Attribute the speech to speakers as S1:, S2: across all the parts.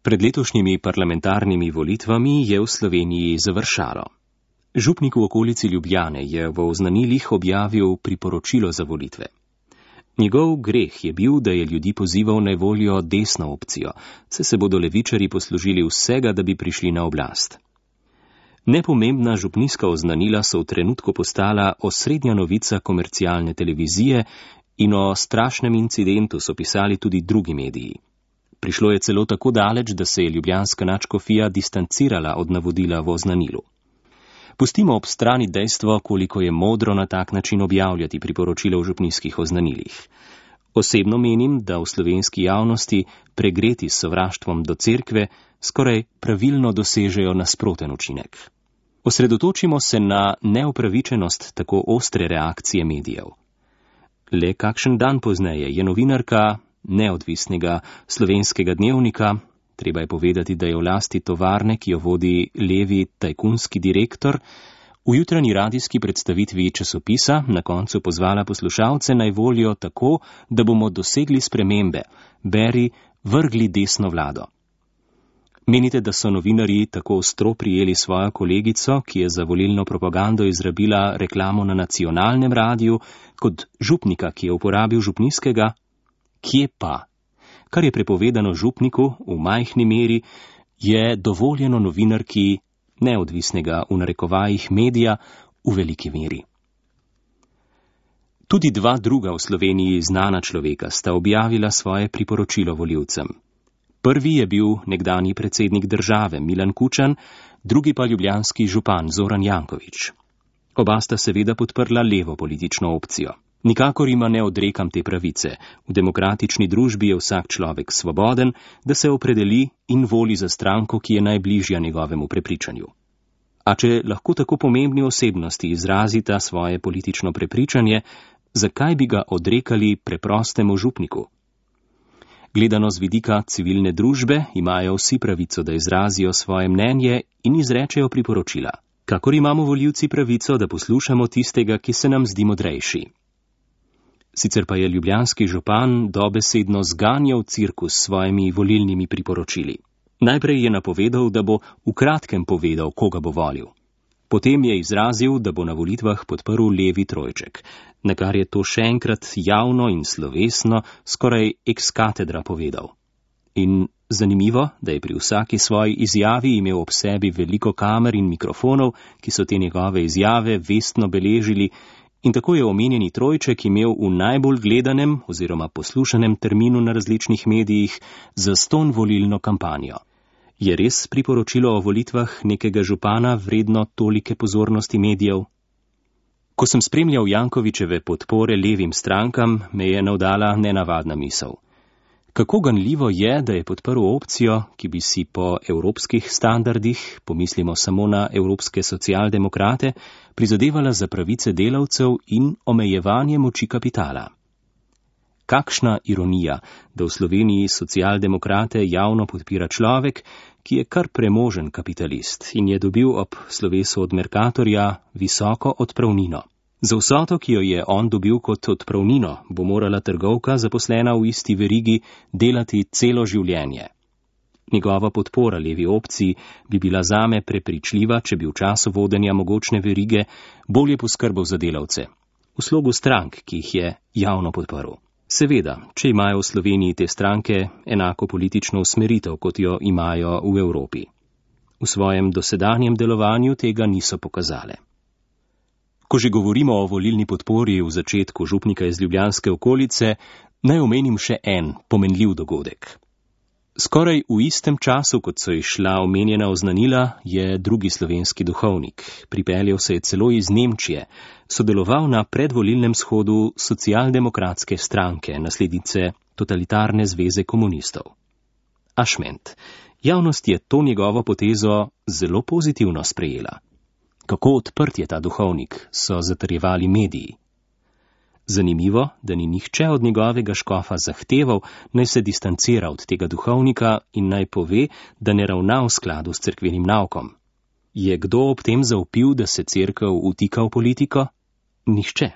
S1: Pred letošnjimi parlamentarnimi volitvami je v Sloveniji završalo. Župnik v okolici Ljubljane je v oznanilih objavil priporočilo za volitve. Njegov greh je bil, da je ljudi pozival naj volijo desno opcijo, saj se bodo levičarji poslužili vsega, da bi prišli na oblast. Nepomembna župnijska oznanila so v trenutku postala osrednja novica komercialne televizije in o strašnem incidentu so pisali tudi drugi mediji. Prišlo je celo tako daleč, da se je ljubljanska nadškofija distancirala od navodila v oznanilu. Pustimo ob strani dejstvo, koliko je modro na tak način objavljati priporočila v župnijskih oznanilih. Osebno menim, da v slovenski javnosti, pregreti s sovraštvom do cerkve, skoraj pravilno dosežejo nasproten učinek. Osredotočimo se na neupravičenost tako ostre reakcije medijev. Le kakšen dan pozneje je novinarka neodvisnega Slovenskega dnevnika, treba je povedati, da je v lasti tovarne, ki jo vodi levi tajkunski direktor, v jutranji radijski predstavitvi časopisa na koncu pozvala poslušalce naj volijo tako, da bomo dosegli spremembe, beri, vrgli desno vlado. Menite, da so novinarji tako ostro prijeli svojo kolegico, ki je za volilno propagando izrabila reklamo na nacionalnem radiju, kot župnika, ki je uporabil župnijskega? Kje pa? Kar je prepovedano župniku v majhni meri, je dovoljeno novinarki neodvisnega v narekovajih medija v veliki meri. Tudi dva druga v Sloveniji znana človeka sta objavila svoje priporočilo volivcem. Prvi je bil nekdanji predsednik države Milan Kučan, drugi pa ljubljanski župan Zoran Janković. Oba sta seveda podprla levo politično opcijo. Nikakor jima ne odrekam te pravice. V demokratični družbi je vsak človek svoboden, da se opredeli in voli za stranko, ki je najbližja njegovemu prepričanju. A če lahko tako pomembni osebnosti izrazita svoje politično prepričanje, zakaj bi ga odrekali preprostemu župniku? Gledano z vidika civilne družbe imajo vsi pravico, da izrazijo svoje mnenje in izrečejo priporočila. Kakor imamo volivci pravico, da poslušamo tistega, ki se nam zdi modrejši. Sicer pa je ljubljanski župan dobesedno zganjal cirkus s svojimi volilnimi priporočili. Najprej je napovedal, da bo v kratkem povedal, koga bo volil. Potem je izrazil, da bo na volitvah podprl levi trojček, na kar je to še enkrat javno in slovesno skoraj ex katedra povedal. In zanimivo, da je pri vsaki svoji izjavi imel ob sebi veliko kamer in mikrofonov, ki so te njegove izjave vestno beležili, in tako je omenjeni trojček imel v najbolj gledanem oziroma poslušanem terminu na različnih medijih zastonj volilno kampanjo. Je res priporočilo o volitvah nekega župana vredno tolike pozornosti medijev? Ko sem spremljal Jankovićeve podpore levim strankam, me je navdala nenavadna misel. Kako ganljivo je, da je podprl opcijo, ki bi si po evropskih standardih, pomislimo samo na evropske socialdemokrate, prizadevala za pravice delavcev in omejevanje moči kapitala. Kakšna ironija, da v Sloveniji socialdemokrate javno podpira človek, ki je kar premožen kapitalist in je dobil ob slovesu od Mercatorja visoko odpravnino. Za vsoto, ki jo je on dobil kot odpravnino, bo morala trgovka, zaposlena v isti verigi, delati celo življenje. Njegova podpora levi opciji bi bila zame prepričljiva, če bi v času vodenja mogočne verige bolje poskrbel za delavce, v slogu strank, ki jih je javno podprl. Seveda, če imajo v Sloveniji te stranke enako politično usmeritev, kot jo imajo v Evropi. V svojem dosedanjem delovanju tega niso pokazale. Ko že govorimo o volilni podpori v začetku župnika iz ljubljanske okolice, naj omenim še en pomenljiv dogodek. Skoraj v istem času, kot so izšla omenjena oznanila, je drugi slovenski duhovnik, pripeljal se je celo iz Nemčije, sodeloval na predvolilnem shodu socialdemokratske stranke, naslednice totalitarne zveze komunistov. Ašment. Javnost je to njegovo potezo zelo pozitivno sprejela. Kako odprt je ta duhovnik, so zatrjevali mediji. Zanimivo, da ni nihče od njegovega škofa zahteval, naj se distancira od tega duhovnika in naj pove, da ne ravna v skladu s cerkvenim naukom. Je kdo ob tem zavpil, da se cerkev vtika v politiko? Nihče.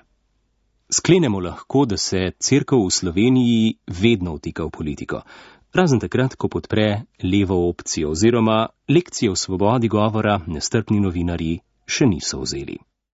S1: Sklenemo lahko, da se cerkev v Sloveniji vedno vtika v politiko. razen takrat, ko podpre levo opcijo oziroma lekcije o svobodi govora nestrpni novinarji še niso vzeli.